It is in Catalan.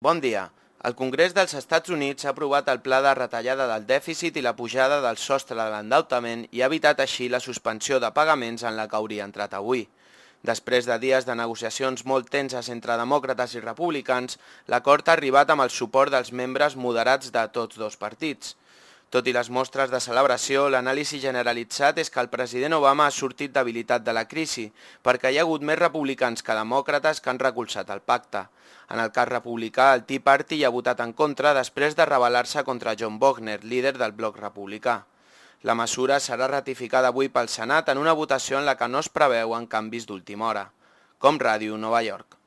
Bon dia. El Congrés dels Estats Units ha aprovat el pla de retallada del dèficit i la pujada del sostre de l'endeutament i ha evitat així la suspensió de pagaments en la que hauria entrat avui. Després de dies de negociacions molt tenses entre demòcrates i republicans, l'acord ha arribat amb el suport dels membres moderats de tots dos partits. Tot i les mostres de celebració, l'anàlisi generalitzat és que el president Obama ha sortit debilitat de la crisi, perquè hi ha hagut més republicans que demòcrates que han recolzat el pacte. En el cas republicà, el Tea Party hi ha votat en contra després de rebel·lar-se contra John Boehner, líder del bloc republicà. La mesura serà ratificada avui pel Senat en una votació en la que no es preveuen canvis d'última hora. Com Ràdio, Nova York.